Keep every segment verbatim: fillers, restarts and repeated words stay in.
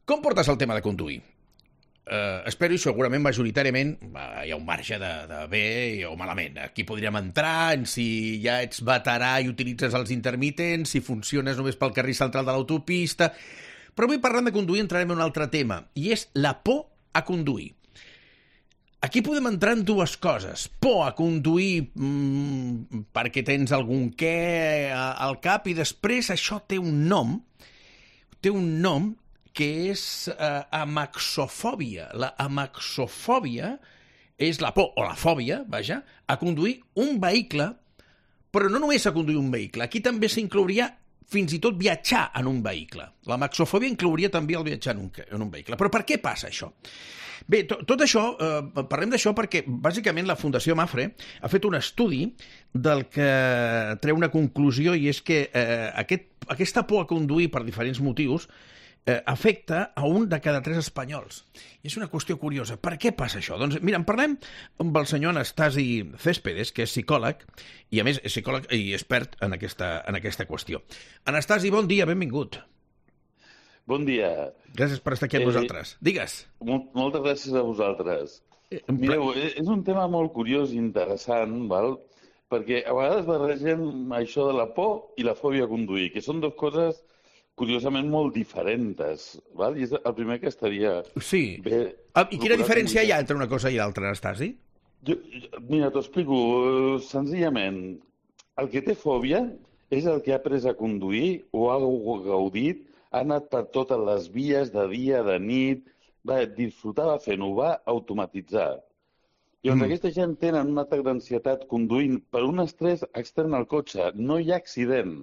Com portes el tema de conduir? Uh, espero i segurament majoritàriament uh, hi ha un marge de, de bé o malament. Aquí podríem entrar en si ja ets veterà i utilitzes els intermitents, si funciones només pel carril central de l'autopista. Però avui parlant de conduir entrarem en un altre tema, i és la por a conduir. Aquí podem entrar en dues coses. Por a conduir mmm, perquè tens algun què al cap, i després això té un nom, té un nom que és eh, amaxofòbia. La amaxofòbia és la por, o la fòbia, vaja, a conduir un vehicle, però no només a conduir un vehicle. Aquí també s'inclouria fins i tot viatjar en un vehicle. La amaxofòbia inclouria també el viatjar en un, en un vehicle. Però per què passa això? Bé, to, tot això, eh, parlem d'això perquè bàsicament la Fundació Mafre ha fet un estudi del que treu una conclusió, i és que eh, aquest, aquesta por a conduir per diferents motius eh, afecta a un de cada tres espanyols. I és una qüestió curiosa. Per què passa això? Doncs mira, en parlem amb el senyor Anastasi Céspedes, que és psicòleg, i a més és psicòleg i expert en aquesta, en aquesta qüestió. Anastasi, bon dia, benvingut. Bon dia. Gràcies per estar aquí amb eh, nosaltres. Digues. Molt, moltes gràcies a vosaltres. Eh, Mireu, és un tema molt curiós i interessant, val? Perquè a vegades barregem això de la por i la fòbia a conduir, que són dues coses curiosament molt diferents, val? I és el primer que estaria sí. bé... Ah, I quina diferència hi ha entre una cosa i l'altra, Anastasi? Jo, mira, t'ho explico. Senzillament, el que té fòbia és el que ha après a conduir o ha gaudit, ha anat per totes les vies, de dia, de nit, va disfrutar fent-ho, va automatitzar. I on mm. aquesta gent tenen un atac d'ansietat conduint per un estrès extern al cotxe. No hi ha accident.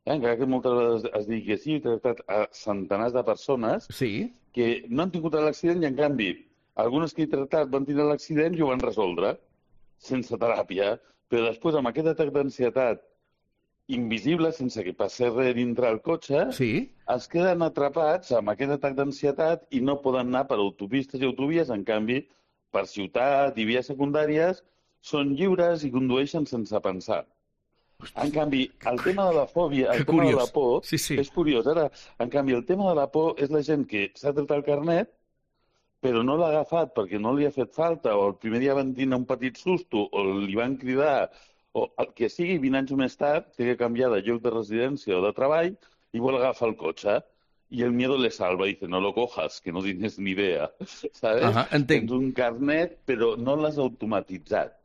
Eh? Encara que moltes vegades es digui que sí, he tractat a centenars de persones sí. que no han tingut l'accident i, en canvi, algunes que he tractat van tenir l'accident i ho van resoldre, sense teràpia, però després, amb aquest atac d'ansietat invisible, sense que passi res dintre el cotxe, sí. es queden atrapats amb aquest atac d'ansietat i no poden anar per autopistes i autovies. En canvi, per ciutat i vies secundàries, són lliures i condueixen sense pensar. En canvi, el tema de la fòbia, el tema de la por, sí, sí. és curiós. Ara, en canvi, el tema de la por és la gent que s'ha tret el carnet, però no l'ha agafat perquè no li ha fet falta, o el primer dia van tenir un petit susto, o li van cridar, o el que sigui, vint anys més tard, té que canviar de lloc de residència o de treball i vol agafar el cotxe. I el miedo le salva i dice, no lo cojas, que no tienes ni idea. ¿Sabes? Ajá, entenc. Tens un carnet, però no l'has automatitzat.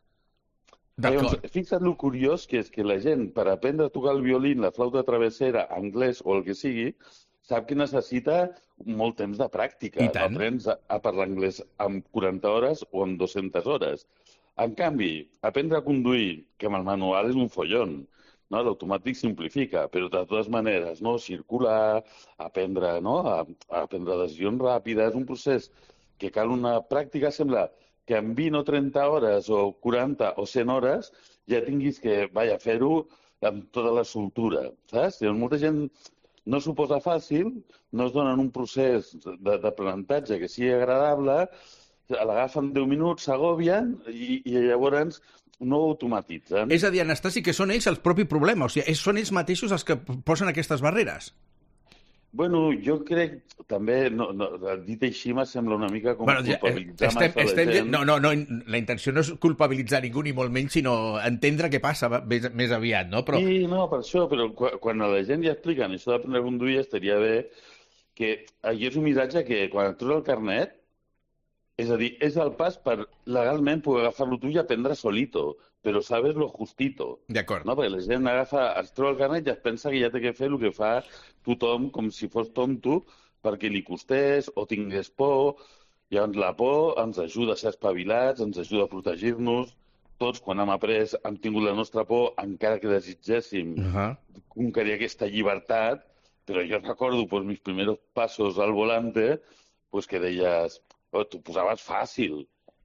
Llavors, fixa't lo curiós que és que la gent, per aprendre a tocar el violí, la flauta travessera, anglès o el que sigui, sap que necessita molt temps de pràctica. No aprens a, a parlar anglès en quaranta hores o en dues-centes hores. En canvi, aprendre a conduir, que amb el manual és un follon, no? L'automàtic simplifica, però de totes maneres, no? Circular, aprendre, no? a, a aprendre decisions ràpides, un procés que cal una pràctica, sembla que en vint o trenta hores o quaranta o cent hores ja tinguis que, vaja, fer-ho amb tota la soltura, saps? Llavors, molta gent no s'ho posa fàcil, no es donen un procés d'aprenentatge que sigui agradable, l'agafen deu minuts, s'agòbien i, i llavors no ho automatitzen. És a dir, Anastasi, que són ells el propi problema, o sigui, són ells mateixos els que posen aquestes barreres. Bueno, jo crec també, no, no, dit així m'ha sembla una mica com bueno, culpabilitzar estem, massa estem, la gent. No, no, no, la intenció no és culpabilitzar ningú ni molt menys, sinó entendre què passa més, més aviat, no? Però... Sí, no, per això, però quan, quan a la gent ja expliquen això d'aprendre a conduir estaria bé que aquí és un missatge que quan et trus el carnet, és a dir, és el pas per legalment poder agafar-lo tu i aprendre solito, però sabes lo justito. D'acord. No? Perquè la gent agafa, es troba el carnet i es pensa que ja té que fer el que fa tothom com si fos tonto perquè li costés o tingués por. Llavors la por ens ajuda a ser espavilats, ens ajuda a protegir-nos. Tots, quan hem après, hem tingut la nostra por, encara que desitgéssim uh-huh. conquerir aquesta llibertat, però jo recordo pues, mis primeros pasos al volante, pues, que deies... Oh, t'ho posaves fàcil,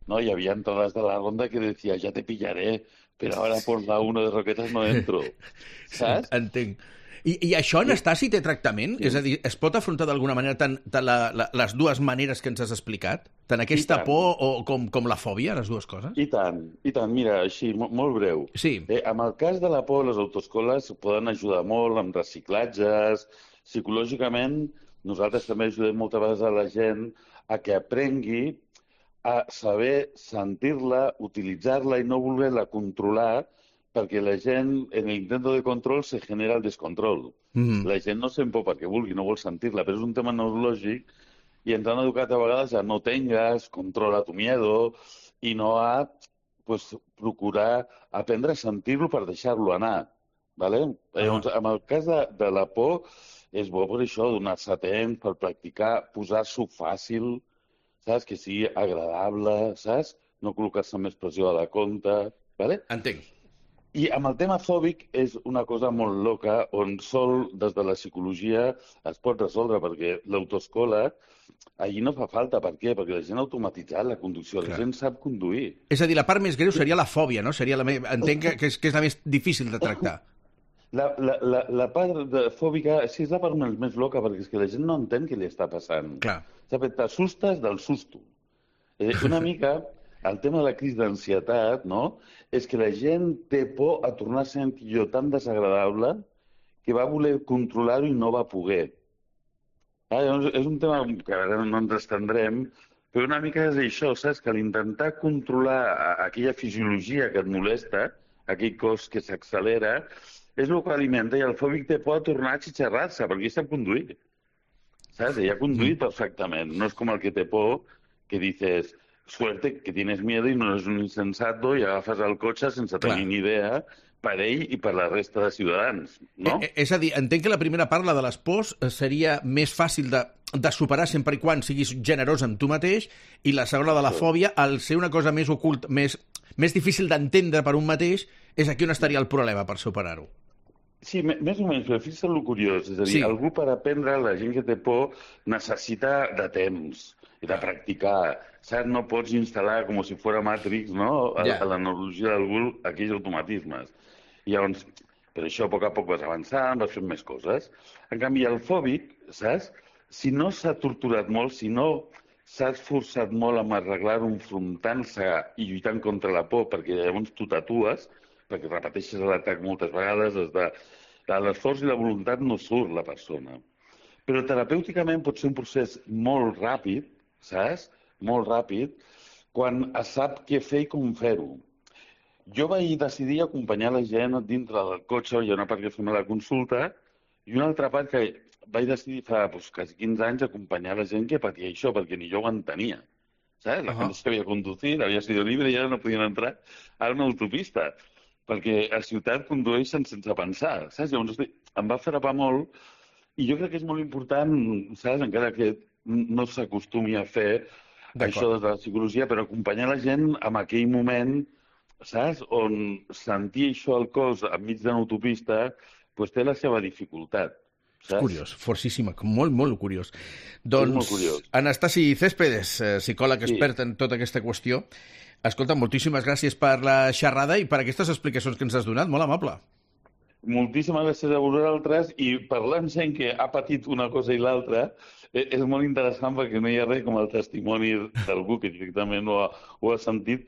¿no? Hi havia entrades de la ronda que decía, ja te pillaré, però ara por la una de Roquetas no entro. Saps? Entenc. I, i això, Anastasi, té tractament? Sí. És a dir, es pot afrontar d'alguna manera tant, tant la, la, les dues maneres que ens has explicat? Tant aquesta tant. por o com, com la fòbia, les dues coses? I tant, i tant. Mira, així, molt, molt breu. Sí. Eh, amb el cas de la por, les autoescoles poden ajudar molt amb reciclatges, psicològicament nosaltres també ajudem moltes vegades a la gent a que aprengui a saber sentir-la, utilitzar-la i no voler-la controlar, perquè la gent, en l'intent de control, se genera el descontrol. Mm. La gent no sent por perquè vulgui, no vol sentir-la, però és un tema neurològic i ens han educat a vegades a no tengas, controla tu miedo, i no a pues, procurar aprendre a sentir-lo per deixar-lo anar. ¿Vale? Ah. Llavors, en el cas de, de la por, és bo per això, donar-se temps, per practicar, posar-s'ho fàcil, saps? Que sigui agradable, saps? No col·locar-se més pressió a la compte, ¿vale? Entenc. I amb el tema fòbic és una cosa molt loca, on sol, des de la psicologia, es pot resoldre, perquè l'autoescola, allí no fa falta. Per què? Perquè la gent ha automatitzat la conducció, la gent sap conduir. És a dir, la part més greu seria la fòbia, no? Seria la me... Entenc que és, que és la més difícil de tractar. La, la, la, la part de fòbica, sí, és la part més loca, perquè és que la gent no entén què li està passant. Clar. T'assustes del susto. Eh, una mica, el tema de la crisi d'ansietat, no?, és que la gent té por a tornar a ser allò tan desagradable que va voler controlar-ho i no va poder. Ah, és un tema que ara no ens estendrem, però una mica és això, saps? Que l'intentar controlar aquella fisiologia que et molesta, aquell cos que s'accelera, és el que alimenta, i el fòbic té por a tornar a xitxarrar-se, perquè ell sap conduir. Saps? Ell ha conduït perfectament. No és com el que té por, que dices, suerte, que tienes miedo i no és un insensato i agafes el cotxe sense tenir ni idea per ell i per la resta de ciutadans, no? Eh, és a dir, entenc que la primera part, la de les pors, seria més fàcil de, de superar sempre i quan siguis generós amb tu mateix, i la segona de la fòbia, al ser una cosa més oculta, més, més difícil d'entendre per un mateix, és aquí on estaria el problema per superar-ho. Sí, més o menys, però fixa't el curiós. És a dir, sí. Algú per aprendre, la gent que té por, necessita de temps i de practicar. Saps? No pots instal·lar com si fos Matrix, no?, a, yeah. a la neurologia d'algú, aquells automatismes. I llavors, per això, a poc a poc vas avançant, vas fent més coses. En canvi, el fòbic, saps? Si no s'ha torturat molt, si no s'ha esforçat molt en arreglar-ho enfrontant-se i lluitant contra la por, perquè llavors tu tatues, perquè repeteixes l'atac moltes vegades, des de, de l'esforç i la voluntat no surt la persona. Però terapèuticament pot ser un procés molt ràpid, saps? Molt ràpid, quan es sap què fer i com fer-ho. Jo vaig decidir acompanyar la gent dintre del cotxe, hi ha una part que fem a la consulta, i una altra part que vaig decidir fa doncs, quasi quinze anys acompanyar la gent que patia això, perquè ni jo ho entenia. Saps? La gent sabia conduir, havia sido libre i ara no podien entrar a una autopista, perquè a ciutat condueixen sense pensar, saps? Llavors em va frapar molt, i jo crec que és molt important, saps? Encara que no s'acostumi a fer això des de la psicologia, però acompanyar la gent en aquell moment, saps? On sentir això al cos enmig d'una autopista doncs té la seva dificultat. És curiós, forcíssima, molt, molt curiós. Doncs, Anastasi Céspedes, psicòleg expert en tota aquesta qüestió, escolta, moltíssimes gràcies per la xerrada i per aquestes explicacions que ens has donat, molt amable. Moltíssimes gràcies a vosaltres, i parlant gent que ha patit una cosa i l'altra, és molt interessant perquè no hi ha res com el testimoni d'algú que directament ho ha, ho ha sentit,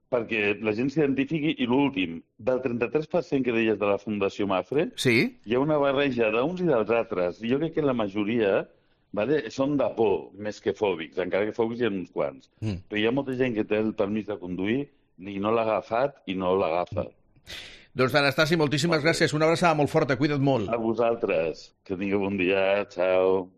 perquè la gent s'identifiqui. I l'últim, del trenta-tres per cent que deies de la Fundació Mafre, sí? Hi ha una barreja d'uns i dels altres. Jo crec que la majoria vale, són de por, més que fòbics, encara que fòbics hi ha uns quants. Mm. Però hi ha molta gent que té el permís de conduir i no l'ha agafat i no l'agafa. Doncs, Anastasi, moltíssimes gràcies. Una abraçada molt forta, cuida't molt. A vosaltres. Que tingueu bon dia. Ciao.